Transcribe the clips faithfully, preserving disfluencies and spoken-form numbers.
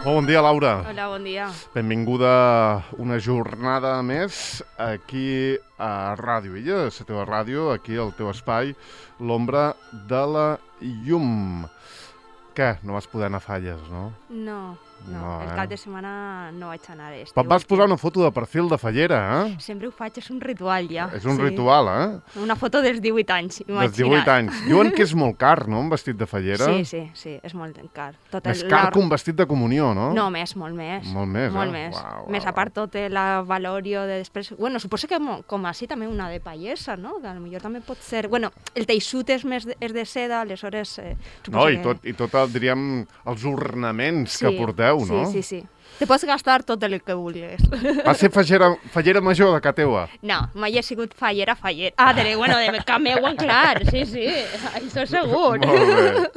Molt bon dia, Laura. Hola, bon dia. Benvinguda una jornada més aquí a Ràdio Illa, la teva ràdio, aquí al teu espai, l'ombra de la llum. Què? No vas poder anar a Falles, no? No, no, No, el eh? cap de setmana no vaig anar. Este Et vas últim. posar una foto de perfil de Fallera, eh? Sempre ho faig, és un ritual ja. És un Sí. ritual, eh? Una foto dels divuit anys, imagina't. Dels divuit anys. Diuen que és molt car, no?, un vestit de Fallera. Sí, sí, sí, és molt car. Tot Més el- car la- que un vestit de comunió, no? No, més, molt més. Molt més, Molt eh? més. Uau, uau, més a uau. part tot el valorio de després... Bueno, suposo que mo- com així també una de pallesa, no? Que potser també pot ser... Bueno, el teixut és més de, és de seda, aleshores... Eh, No, suposo i que- tot, i tot el, diríem, els ornaments que porteu, no? Sí, sí, sí. Te pots gastar tot el que vulguis. Va ser fallera, fallera major de casa teua. No, mai he sigut fallera, fallera. Ah, de, bueno, de cap meua, clar, sí, sí, això segur. Molt bé.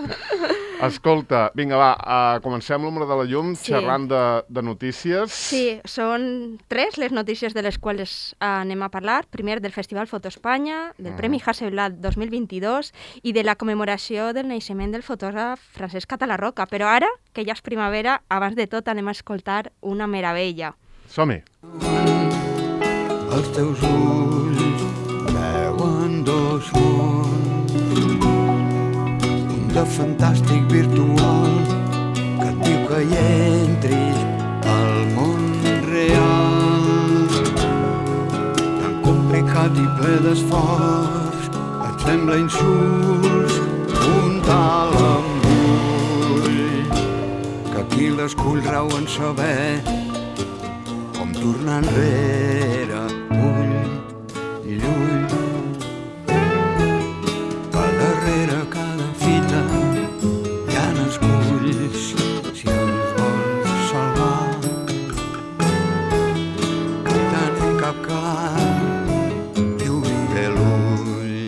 Escolta, vinga, va, uh, comencem l'Ombra de la Llum Sí. xerrant de, de notícies. Sí, són tres les notícies de les quals anem a parlar. Primer, del Festival Foto Espanya, del Mm. Premi Hasselblad dos mil vint-i-dos i de la commemoració del naixement del fotògraf Francesc Catalarroca. Però ara, que ja és primavera, abans de tot anem a escoltar una meravella. Som-hi. Els teus ulls veuen dos mons, un de fantàstic virtual que et diu que hi entris al món real. Tan complicat i ple d'esforç, et sembla insults un tal embull, que aquí l'escull rau en saber com tornar enrere, ull i llull. Que darrere cada fita hi ha esculls, si els vols salvar. Que tant cap clar i obrir bé l'ull.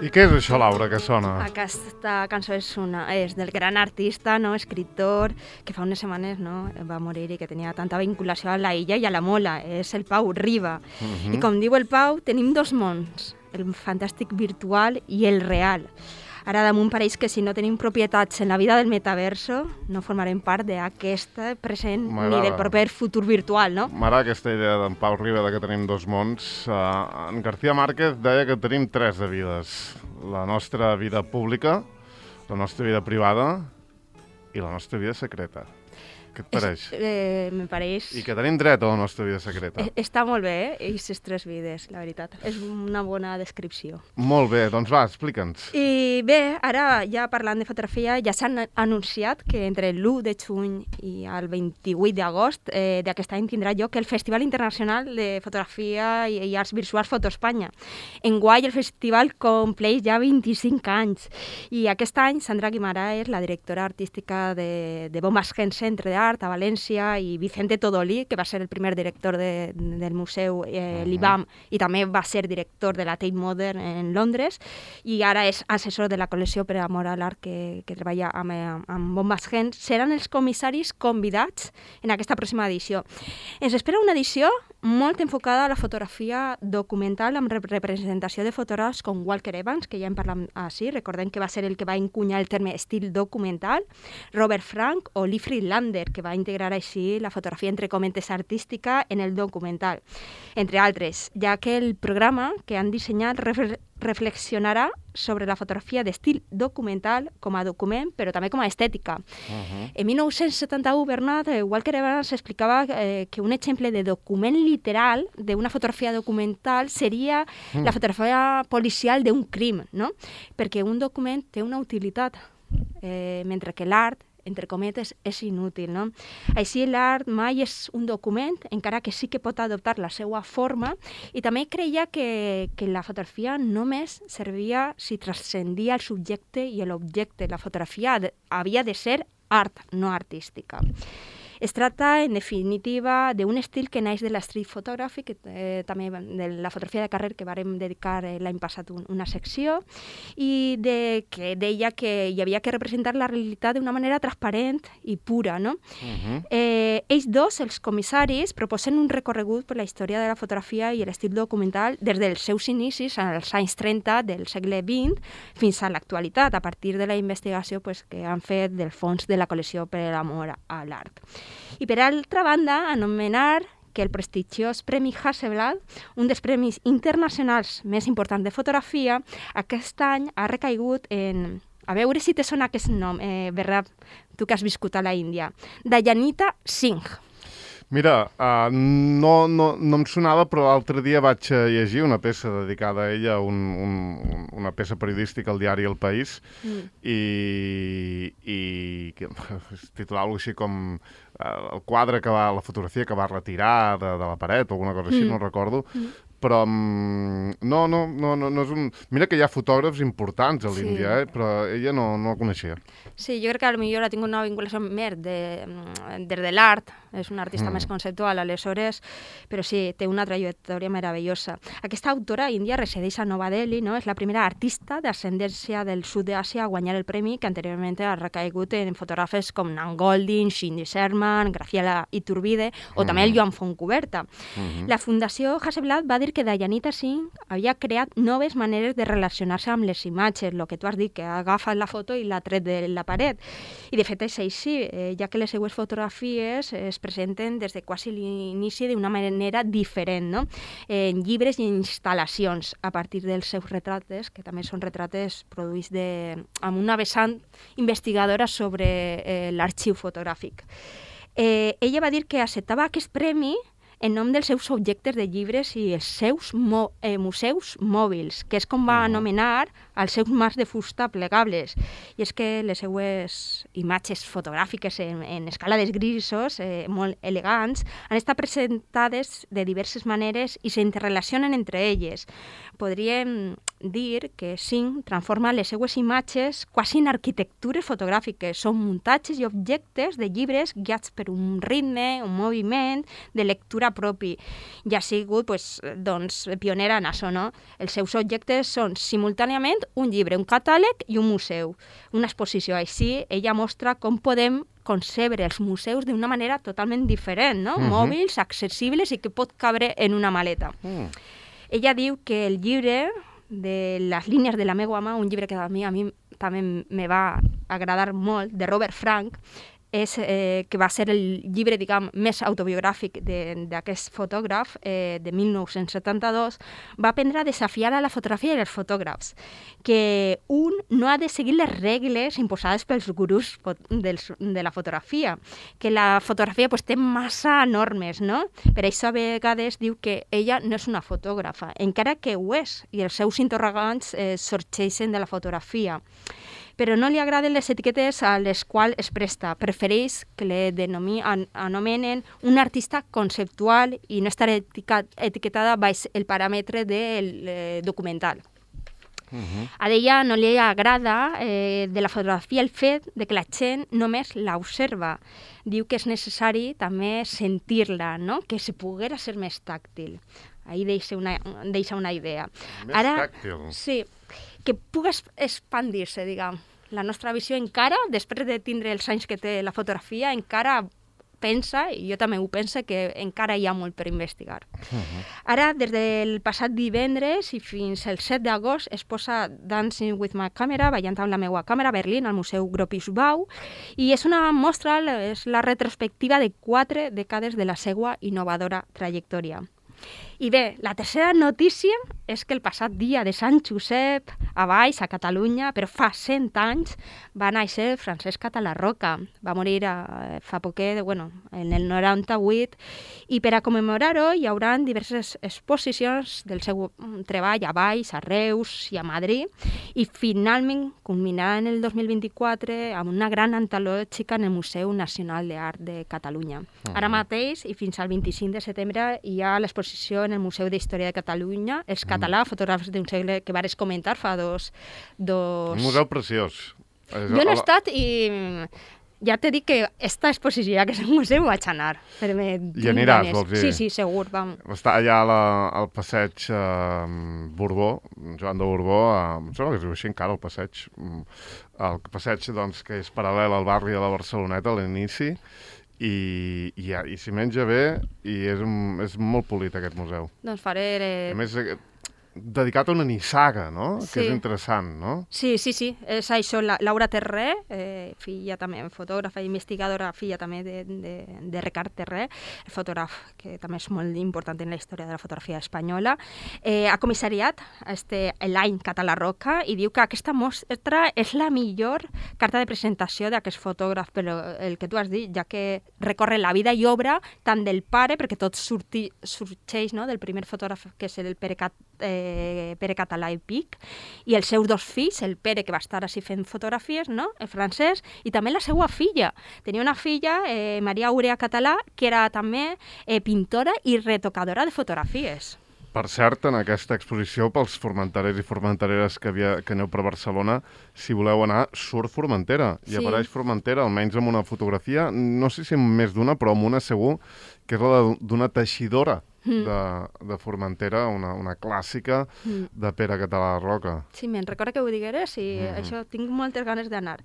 I què és això, Laura, que sona? Aquesta cançó és, una, és del gran artista, no? Escriptor, que fa unes setmanes no? va morir i que tenia tanta vinculació a la illa i a la Mola. És el Pau Riba. Mhm. I com diu el Pau, tenim dos mons, el fantàstic virtual i el real. Ara damunt pareix que si no tenim propietats en la vida del metaverso, no formarem part d'aquest present ni M'agrada. del proper futur virtual, no? M'agrada aquesta idea d'en Pau Riba de que tenim dos mons. Uh, en García Márquez deia que tenim tres de vides. La nostra vida pública, la nostra vida privada i la nostra vida secreta. Què et pareix? És, eh, me pareix... I que tenim dret a la nostra vida secreta. Eh, Està molt bé, eh? Aquestes tres vides, la veritat. És una bona descripció. Molt bé, doncs va, explica'ns. I bé, ara ja parlant de fotografia, ja s'han anunciat que entre l'u de juny i el vint-i-vuit d'agost eh, d'aquest any tindrà lloc el Festival Internacional de Fotografia i, i Arts Visuals Foto Espanya. Enguany el festival compleix ja vint-i-cinc anys i aquest any Sandra Guimarà és la directora artística de, de Bombas Gen Centre d'Art a València i Vicente Todolí, que va ser el primer director de, del museu eh, l'I B A M i també va ser director de la Tate Modern en Londres i ara és assessor de la col·lecció per amor a l'art que, que treballa amb, amb Bombas Gen. Seran els comissaris convidats en aquesta pròxima edició. Ens espera una edició molt enfocada a la fotografia documental amb representació de fotògrafs com Walker Evans, que ja en parlam així, recordem que va ser el que va encunyar el terme estil documental, Robert Frank o Lee Friedlander, que va integrar així la fotografia entre comentes artística en el documental, entre altres, ja que el programa que han dissenyat refle reflexionarà sobre la fotografia d'estil documental com a document, però també com a estètica. Uh-huh. En mil nou-cents setanta-u, Bernat, eh, Walker Evans explicava eh, que un exemple de document literal d'una fotografia documental seria Mm. la fotografia policial d'un crim, no? Perquè un document té una utilitat, eh, mentre que l'art entre cometes, és inútil, no? Així l'art mai és un document, encara que sí que pot adoptar la seva forma, i també creia que, que la fotografia només servia si transcendia el subjecte i l'objecte. La fotografia de, havia de ser art, no artística. Es tracta, en definitiva, d'un estil que naix de la street photography, que, eh, també de la fotografia de carrer, que vàrem dedicar eh, l'any passat un, una secció, i de, que deia que hi havia que representar la realitat d'una manera transparent i pura, no? Uh-huh. eh, ells dos, els comissaris, proposen un recorregut per la història de la fotografia i l'estil documental des dels seus inicis, als anys trenta del segle vint, fins a l'actualitat, a partir de la investigació pues, que han fet del fons de la col·lecció per l'amor a l'art. I per altra banda, anomenar que el prestigiós Premi Hasselblad, un dels premis internacionals més importants de fotografia, aquest any ha recaigut en... A veure si te sona aquest nom, eh, Berra, tu que has viscut a la Índia. Dayanita Singh. Mira, uh, no, no, no em sonava, però l'altre dia vaig llegir una peça dedicada a ella, un, un, una peça periodística al diari El País, mm. i, i que es titulava així com uh, el quadre que va, la fotografia que va retirar de, de la paret o alguna cosa així, mm. no recordo, mm. però um, no, no, no, no, no és un... Mira que hi ha fotògrafs importants a l'Índia, sí. eh? Però ella no, no la coneixia. Sí, jo crec que potser ha tingut una vinculació més de, des de l'art, és una artista mm. més conceptual, aleshores, però sí, té una trajectòria meravellosa. Aquesta autora índia resideix a Nova Delhi, no? És la primera artista d'ascendència del sud d'Àsia a guanyar el premi, que anteriorment ha recaigut en fotògrafes com Nan Goldin, Cindy Sherman, Graciela Iturbide o mm. també el Joan Fontcuberta. Mm-hmm. La Fundació Hasselblad va dir que Dayanita Singh havia creat noves maneres de relacionar-se amb les imatges, el que tu has dit, que ha agafat la foto i l'ha tret de la paret. I de fet és així, eh, ja que les seues fotografies es presenten des de quasi l'inici d'una manera diferent, no? En llibres i instal·lacions, a partir dels seus retrates, que també són retrates produïts de, amb una vessant investigadora sobre eh, l'arxiu fotogràfic. Eh, ella va dir que acceptava aquest premi en nom dels seus objectes de llibres i els seus mo eh, museus mòbils, que és com va anomenar els seus mars de fusta plegables. I és que les seues imatges fotogràfiques en, en escala de grisos, eh, molt elegants, han estat presentades de diverses maneres i s'interrelacionen entre elles. Podríem dir que Singh transforma les seues imatges quasi en arquitectures fotogràfiques. Són muntatges i objectes de llibres guiats per un ritme, un moviment, de lectura propi. I ha sigut pues, doncs, pionera en això, no? Els seus objectes són simultàniament un llibre, un catàleg i un museu, una exposició. Així, ella mostra com podem concebre els museus d'una manera totalment diferent, no? Uh-huh. Mòbils, accessibles i que pot cabre en una maleta. Uh. Ella diu que el llibre de les línies de la meva mà, un llibre que a mi, a mi també me va agradar molt, de Robert Frank, és, eh, que va ser el llibre, diguem, més autobiogràfic d'aquest fotògraf, eh, de mil nou-cents setanta-dos, va aprendre a desafiar a la fotografia i els fotògrafs, que un no ha de seguir les regles imposades pels gurús dels, de la fotografia, que la fotografia pues, té massa normes, no? Per això a vegades diu que ella no és una fotògrafa, encara que ho és, i els seus interrogants eh, sorgeixen de la fotografia. Però no li agraden les etiquetes a les quals es presta. Prefereix que le denomi, an, anomenen un artista conceptual i no estar etiquetada baix el paràmetre del eh, documental. Uh-huh. A ella no li agrada eh, de la fotografia el fet de que la gent només l'observa. Diu que és necessari també sentir-la, no? Que se poguera ser més tàctil. Ahí deixa una, deixa una idea. Més Ara, tàctil. Sí, que pugui expandir-se, diguem. La nostra visió encara, després de tindre els anys que té la fotografia, encara pensa, i jo també ho penso, que encara hi ha molt per investigar. Uh-huh. Ara, des del passat divendres i fins al set d'agost es posa Dancing with my camera, ballant amb la meva càmera, a Berlín, al Museu Gropiusbau, i és una mostra, és la retrospectiva de quatre dècades de la seva innovadora trajectòria. I bé, la tercera notícia és que el passat dia de Sant Josep, a Valls, a Catalunya, però fa cent anys, va néixer Francesc Catalarroca. Va morir a, fa poquet, bueno, en el noranta-vuit, i per a commemorar-ho hi haurà diverses exposicions del seu treball a Valls, a Reus i a Madrid, i finalment culminarà en el dos mil vint-i-quatre amb una gran antològica en el Museu Nacional d'Art de Catalunya. Uh-huh. Ara mateix, i fins al vint-i-cinc de setembre, hi ha l'exposició en el Museu d'Història de Catalunya, Els Català, fotògrafs d'un segle, que vares comentar fa dos... dos... Un museu preciós. Jo no he estat i, ja t'he dit que esta exposició, ja que és un museu, vaig anar. Però me I aniràs, ganes. vols dir? Sí, sí, segur. Vam. Està allà la, al passeig eh, Borbó, Joan de Borbó, eh, em sembla que es diu així encara, el passeig, el passeig doncs, que és paral·lel al barri de la Barceloneta, a l'inici, i, i, i s'hi menja bé i és, un, és molt polit aquest museu. Doncs faré... Eh... A més, dedicat a una nissaga, no? Sí. Que és interessant, no? Sí, sí, sí. És això, la, Laura Terré, eh, filla també, fotògrafa i investigadora, filla també de, de, de Ricard Terré, el fotògraf que també és molt important en la història de la fotografia espanyola, eh, ha comissariat este, l'any Català Roca i diu que aquesta mostra és la millor carta de presentació d'aquest fotògraf, però el que tu has dit, ja que recorre la vida i obra tant del pare, perquè tot surti, sorgeix, no?, del primer fotògraf, que és el Pere Cat, eh, Pere Català i Pic, i els seus dos fills, el Pere, que va estar així fent fotografies, no?, el francès, i també la seva filla. Tenia una filla, eh, Maria Aurea Català, que era també eh, pintora i retocadora de fotografies. Per cert, en aquesta exposició, pels formenterers i formentereres que, havia, que aneu per Barcelona, si voleu anar, surt Formentera. I Sí. apareix Formentera, almenys amb una fotografia, no sé si amb més d'una, però amb una segur, que és la d'una teixidora Mm. de, de Formentera, una, una clàssica Mm. de Pere Català Roca. Sí, me'n recorda que ho digueres i Mhm. això tinc moltes ganes d'anar.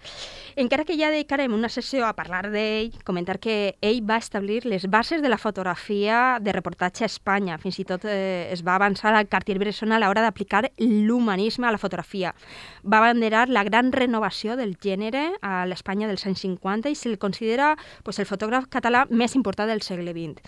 Encara que ja dedicarem una sessió a parlar d'ell, comentar que ell va establir les bases de la fotografia de reportatge a Espanya. Fins i tot eh, es va avançar al Cartier-Bresson a l'hora d'aplicar l'humanisme a la fotografia. Va abanderar la gran renovació del gènere a l'Espanya dels anys cinquanta i se'l considera pues, el fotògraf català més important del segle vint.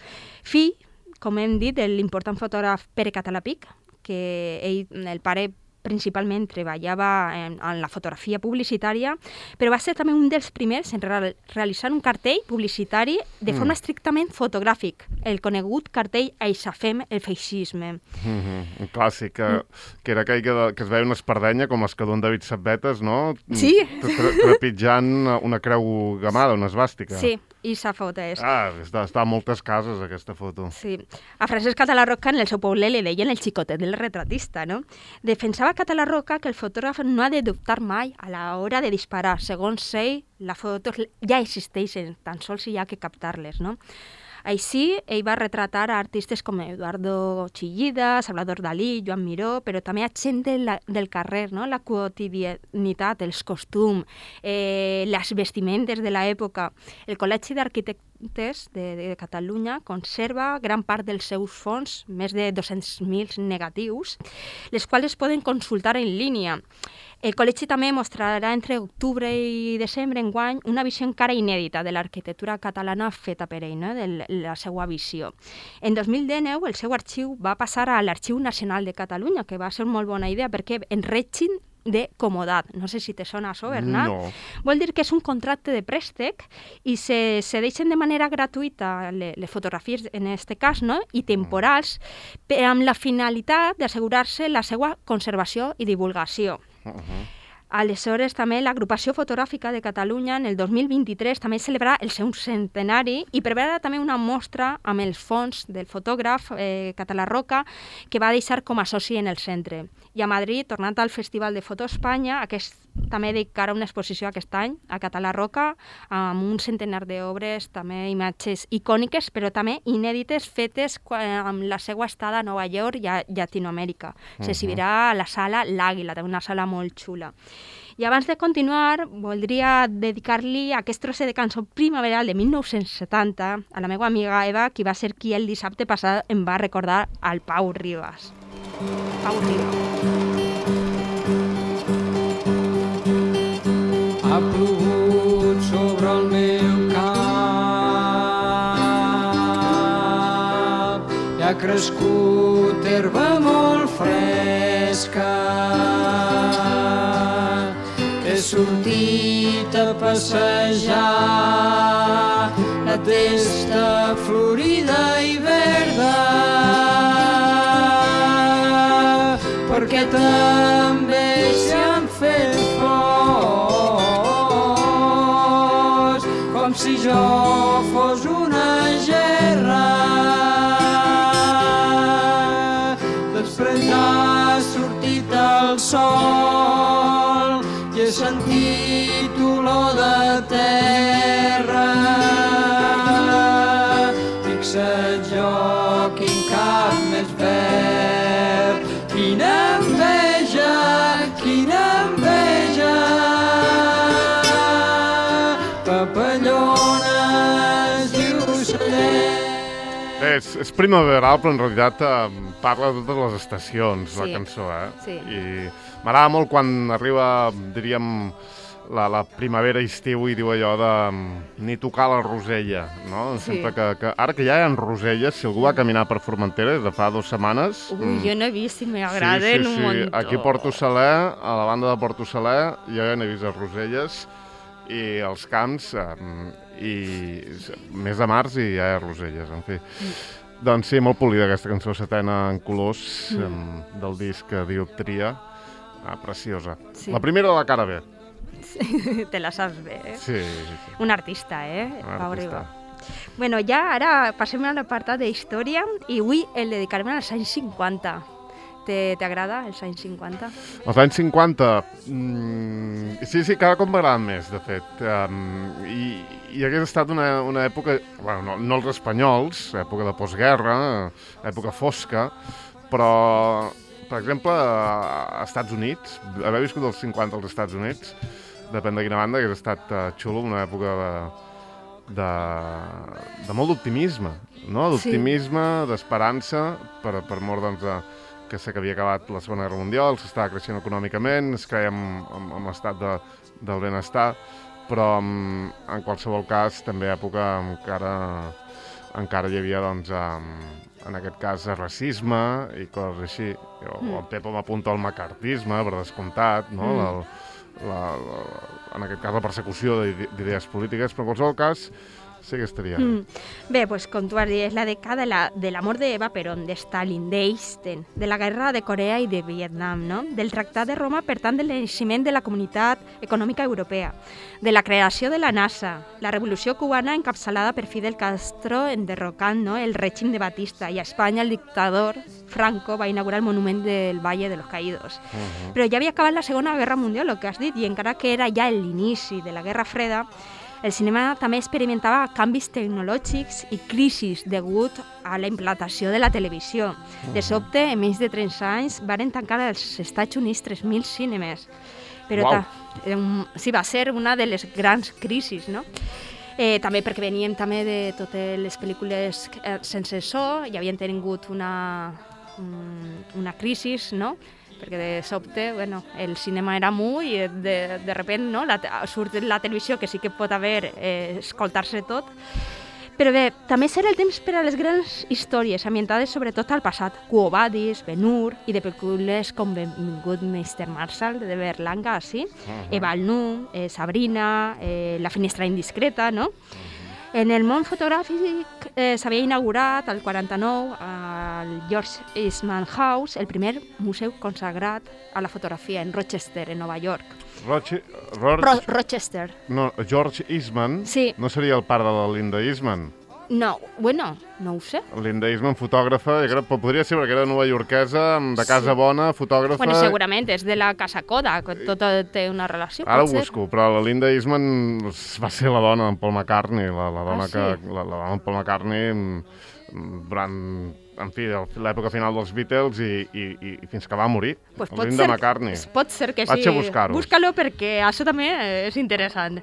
Fill, com hem dit, de l'important fotògraf Pere Català Pic, que ell, el pare, principalment treballava en, en la fotografia publicitària, però va ser també un dels primers en real, realitzar un cartell publicitari de forma Mm. estrictament fotogràfic, el conegut cartell Aixafem el feixisme. Mm -hmm. Un clàssic, que, mm. que era aquell que, que es veia una espardenya, com les que duen David Sabbetes, no? Sí. Tre trepitjant una creu gamada, una esvàstica. Sí, i sa foto és. Ah, està, està a moltes cases, aquesta foto. Sí. A Francesc Català Roca, en el seu poble, li deien el xicotet del retratista, no? Defensava Català Roca que el fotògraf no ha de dubtar mai a l'hora de disparar. Segons ell, les fotos ja existeixen, tan sols hi ha que captar-les, no? Així, ell va retratar a artistes com Eduardo Chillida, Salvador Dalí, Joan Miró, però també a gent de la, del carrer, no? La quotidianitat, els costums, eh, les vestimentes de l'època. El Col·legi d'Arquitectes de, de Catalunya conserva gran part dels seus fons, més de dos-cents mil negatius, les quals es poden consultar en línia. El col·legi també mostrarà entre octubre i desembre enguany una visió encara inèdita de l'arquitectura catalana feta per ell, no? De la seva visió. En dos mil dinou el seu arxiu va passar a l'Arxiu Nacional de Catalunya, que va ser una molt bona idea perquè en règim de comodat. No sé si te sona això, Bernat. No. Vol dir que és un contracte de préstec i se, se deixen de manera gratuïta les, les fotografies, en aquest cas, no? I temporals, per, amb la finalitat d'assegurar-se la seva conservació i divulgació. Uh -huh. Aleshores, també l'Agrupació Fotogràfica de Catalunya en el dos mil vint-i-tres també celebrarà el seu centenari i preveurà també una mostra amb els fons del fotògraf eh, Català Roca que va deixar com a soci en el centre. I a Madrid, tornant al Festival de Foto Espanya, aquest també dedicarà una exposició aquest any a Català Roca amb un centenar d'obres, també imatges icòniques, però també inèdites fetes amb la seva estada a Nova York i a Llatinoamèrica. Uh-huh. S'exhibirà a la sala L'Àguila, una sala molt xula. I abans de continuar, voldria dedicar-li aquest trosset de cançó primaveral de mil nou-cents setanta a la meva amiga Eva, qui va ser qui el dissabte passat em va recordar al Pau Ribas. Pau Ribas. Ha plogut sobre el meu cap i ha crescut herba molt fresca. He sortit a passejar la testa florida i verda perquè també s'hi han fet flors com si jo fos una gerra. Després ha sortit el sol i he sentit olor de terra. Fixa't jo, quin cap més verd, quina enveja, quina enveja. Papallones i ocellets. Bé, és, és primaveral, però en realitat eh, parla de totes les estacions, Sí. la cançó, eh? Sí. I m'agrada molt quan arriba, diríem, la, la primavera-estiu i diu allò de mm, ni tocar la rosella, no? Sí. Sempre que, que, ara que ja hi ha roselles, si algú va caminar per Formentera des de fa dues setmanes... Uy, mm, yo no he visto y me agraden sí, sí, un sí. montón. Aquí a Porto Saler, a la banda de Porto Saler, jo ja n'he vist les roselles i els camps, eh, i mes de març i ja hi ha roselles, en fi. Mm. Doncs sí, molt polida aquesta cançó, setena en colors, Mm. em, del disc Dioptria, ah, preciosa. Sí. La primera de la cara B. Te la saps bé, eh? Sí, sí, sí. Un artista, eh? Un Pau artista. Riba. Bueno, ja ara passem a l'apartat d'història i avui el dedicarem als anys cinquanta. Te- T'agrada els anys cinquanta? Els anys cinquanta, mm, sí, sí, cada cop m'agraden més, de fet. Um, i, I hagués estat una, una època, bueno, no, no els espanyols, època de postguerra, època fosca, però, per exemple, a Estats Units, haver viscut els cinquanta als Estats Units, depèn de quina banda, hagués estat uh, xulo, una època de, de, de molt d'optimisme, no? D'optimisme, d'esperança, per, per mort, doncs, de, que sé que havia acabat la Segona Guerra Mundial, s'estava creixent econòmicament, es creia en, en, en l'estat de, del benestar, però en, en qualsevol cas també època encara, encara hi havia, doncs, en, en aquest cas, racisme i coses així. O, mm. El Pepo m'apunta al macartisme, per descomptat, no? Mm. La, la, la, en aquest cas, la persecució d'idees polítiques, però en qualsevol cas sí que estaria bé. Mm. Bé, pues, com tu has dit, és la dècada de la, de la mort d'Eva Perón, de Stalin, d'Einstein, de la guerra de Corea i de Vietnam, no? Del Tractat de Roma, per tant, del naixement de la Comunitat Econòmica Europea, de la creació de la NASA, la revolució cubana encapçalada per Fidel Castro enderrocant, no? El règim de Batista, i a Espanya el dictador Franco va inaugurar el monument del Valle de los Caídos. Uh -huh. Però ja havia acabat la Segona Guerra Mundial, el que has dit, i encara que era ja l'inici de la Guerra Freda, el cinema també experimentava canvis tecnològics i crisis degut a la implantació de la televisió. De sobte, en menys de trenta anys, varen tancar als Estats Units tres mil cinemes. Però Uau. ta, um, sí, va ser una de les grans crisis, no? Eh, també perquè veníem també de totes les pel·lícules eh, sense so, i havien tingut una, um, una crisis, no? Perquè de sobte, bueno, el cinema era mu i de, de repente, no, la, surt la televisió, que sí que pot haver, eh, escoltar-se tot. Però bé, també serà el temps per a les grans històries, ambientades sobretot al passat. Quo Vadis, Ben-Hur, i de pel·lícules com Benvingut mister Marshall, de Berlanga, sí? Uh-huh. Eva el Nu, eh, Sabrina, eh, La finestra indiscreta, no? Uh-huh. En el món fotogràfic eh, s'havia inaugurat el quaranta-nou al George Eastman House, el primer museu consagrat a la fotografia en Rochester, en Nova York. Roche, Roche, Ro Rochester. No, George Eastman Sí. no seria el pare de la Linda Eastman? No, bueno, no ho sé. Linda Eastman, fotògrafa, jo crec, podria ser perquè era novaiorquesa, de casa Sí. bona, fotògrafa... Bueno, segurament és de la Casa Kodak, tot té una relació. Ara ho pot ser. busco, però la Linda Eastman va ser la dona d'en Paul McCartney, la, la dona Ah, sí? que... La, la dona d'en Paul McCartney mm, durant, en fi, l'època final dels Beatles i, i, i fins que va morir. Pues la pot Linda ser, McCartney. pot ser que sí. Vaig a buscar-ho. Búscalo perquè això també és interessant.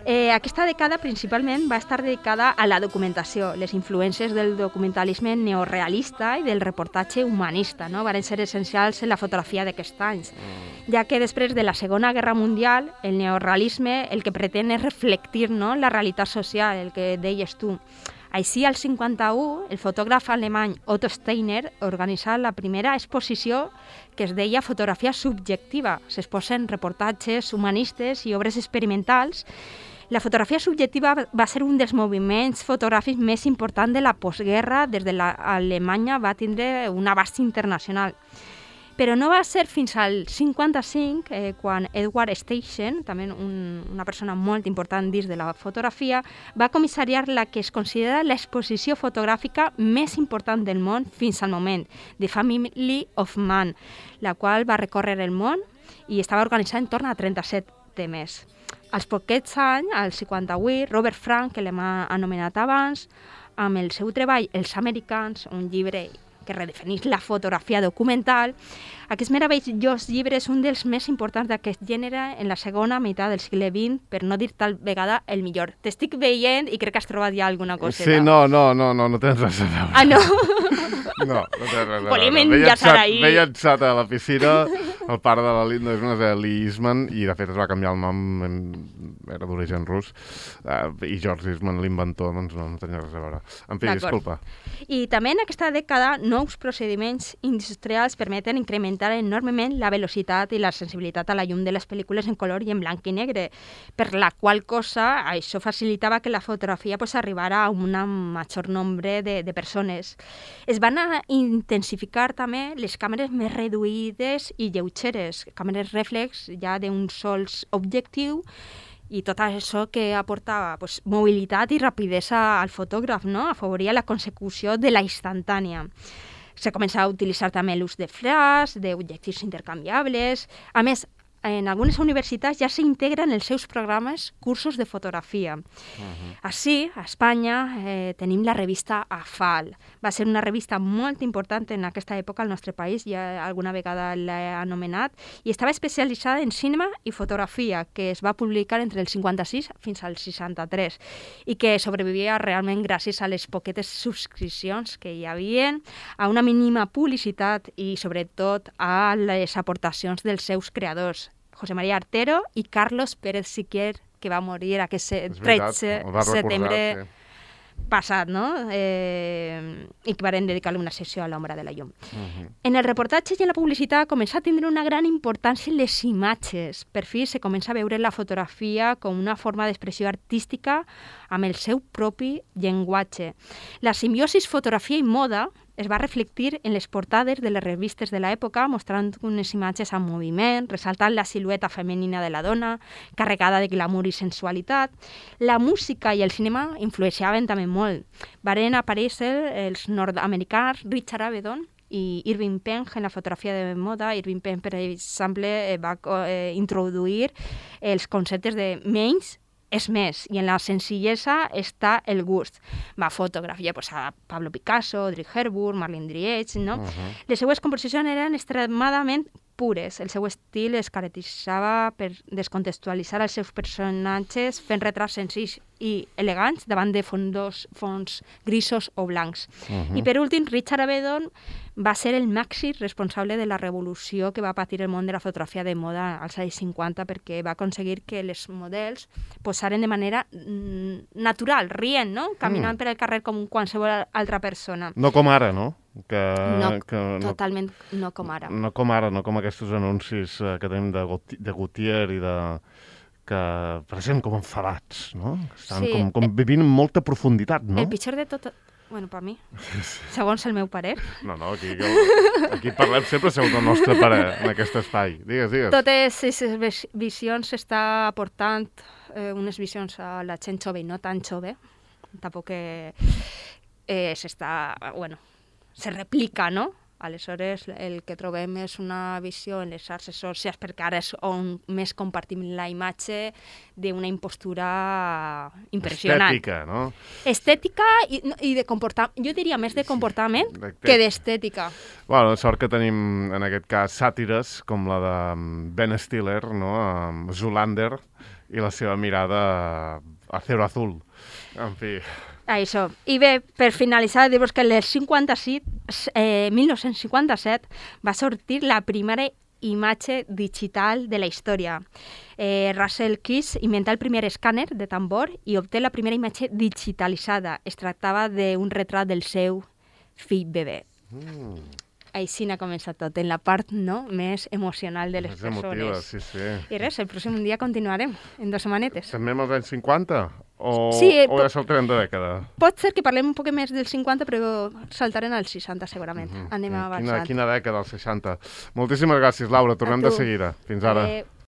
Eh, aquesta dècada principalment va estar dedicada a la documentació. Les influències del documentalisme neorealista i del reportatge humanista, no? Van ser essencials en la fotografia d'aquests anys, mm. ja que després de la Segona Guerra Mundial el neorealisme el que pretén és reflectir, no?, la realitat social, el que deies tu. Així, al cinquanta-u, el fotògraf alemany Otto Steiner organitza la primera exposició que es deia Fotografia subjectiva. S'exposen reportatges humanistes i obres experimentals. La fotografia subjectiva va ser un dels moviments fotogràfics més importants de la postguerra. Des de l'Alemanya va tindre un abast internacional. Però no va ser fins al cinquanta-cinc, eh, quan Edward Steichen, també un, una persona molt important dins de la fotografia, va comissariar la que es considera l'exposició fotogràfica més important del món fins al moment, The Family of Man, la qual va recórrer el món i estava organitzada en torn a trenta-set temes. Als poquets anys, al cinquanta-vuit, Robert Frank, que l'hem anomenat abans, amb el seu treball Els Americans, un llibre que redefineix la fotografia documental. Aquest meravellós llibre és un dels més importants d'aquest gènere en la segona meitat del segle vint, per no dir tal vegada el millor. T'estic veient i crec que has trobat ja alguna coseta. Sí, no, no, no, no, no tens res a veure. Ah, no? No, no tens res a veure. Volem enllaçar ahir. M'he llançat a la piscina, el pare de la Linda és una de Lee Eastman, i de fet es va canviar el nom, era d'origen rus, uh, i George Eastman, l'inventor, doncs no, no tenia res a veure. En fi, disculpa. I també en aquesta dècada, nous procediments industrials permeten incrementar enormement la velocitat i la sensibilitat a la llum de les pel·lícules en color i en blanc i negre, per la qual cosa això facilitava que la fotografia pues, arribara a un major nombre de, de persones. Es van a intensificar també les càmeres més reduïdes i lleugeres, càmeres reflex ja d'un sol objectiu, i tot això que aportava pues, mobilitat i rapidesa al fotògraf, no? Afavoria la consecució de la instantània. Se comença a utilitzar també l'ús de flash, d'objectius intercanviables. A més, en algunes universitats ja s'integren els seus programes cursos de fotografia. Uh-huh. Així, a Espanya, eh, tenim la revista A F A L. Va ser una revista molt important en aquesta època al nostre país, ja alguna vegada l'he anomenat, i estava especialitzada en cinema i fotografia, que es va publicar entre el cinquanta-sis fins al seixanta-tres, i que sobrevivia realment gràcies a les poquetes subscripcions que hi havia, a una mínima publicitat i, sobretot, a les aportacions dels seus creadors, José María Artero i Carlos Pérez Siquier, que va morir aquest tretze de setembre sí. passat, no? Eh, i que varen dedicar-li una sessió a l'ombra de la llum. Uh-huh. En el reportatge i en la publicitat comença a tindre una gran importància les imatges. Per fi se comença a veure la fotografia com una forma d'expressió artística amb el seu propi llenguatge. La simbiosi fotografia i moda es va reflectir en les portades de les revistes de l'època, mostrant unes imatges en moviment, ressaltant la silueta femenina de la dona, carregada de glamour i sensualitat. La música i el cinema influenciaven també molt. Varen aparèixer els nord-americans Richard Avedon i Irving Penn en la fotografia de moda. Irving Penn, per exemple, va eh, introduir els conceptes de menys és més, i en la senzillesa està el gust. Va fotografiar pues, a Pablo Picasso, Audrey Hepburn, Marlene Dietrich, no? Uh-huh. Les seues composicions eren extremadament pures. El seu estil es caracteritzava per descontextualitzar els seus personatges fent retrats senzills i elegants davant de fondos, fons grisos o blancs. Uh-huh. I per últim, Richard Avedon va ser el màxim responsable de la revolució que va patir el món de la fotografia de moda als anys cinquanta, perquè va aconseguir que els models posaren de manera mm, natural, rient, no? Caminant mm. per el carrer com qualsevol altra persona. No com ara, no? Que, no, que no, totalment no com ara. No com ara, no com aquests anuncis eh, que tenim de, de Gautier i de que presenten com enfadats, no? Estan sí. com, com vivint amb molta profunditat, no? El pitjor de tot... Bueno, per mi, segons el meu parer. No, no, aquí, aquí parlem sempre segons el nostre parer, en aquest espai. Digues, digues. Totes aquestes visions s'està aportant eh, unes visions a la gent jove i no tan jove. Tampoc que eh, s'està... Bueno, se replica, no? Aleshores, el que trobem és una visió en les xarxes socials, perquè ara és on més compartim la imatge d'una impostura impressionant. Estètica, no? Estètica i, i de comportament. Jo diria més de comportament sí, que d'estètica. Bueno, sort que tenim, en aquest cas, sàtires com la de Ben Stiller, no? Zoolander, i la seva mirada acero azul. En fi... Això. I bé, per finalitzar, dir-vos que el cinquanta-set, eh, mil nou-cents cinquanta-set va sortir la primera imatge digital de la història. Eh, Russell Keys inventa el primer escàner de tambor i obté la primera imatge digitalitzada. Es tractava d'un retrat del seu fill bebè. Mm. així n'ha començat tot, en la part no, més emocional de les És persones. emotiva, sí, sí. I res, el pròxim dia continuarem, en dues setmanetes. També amb els anys cinquanta? O, Sí, eh, o ja saltarem de dècada? Pot ser que parlem un poc més dels cinquanta, però saltarem als seixanta segurament. Mhm. Anem Quina, avançant. quina dècada, els seixanta. Moltíssimes gràcies, Laura. Tornem A de tu. seguida. Fins ara. Adéu.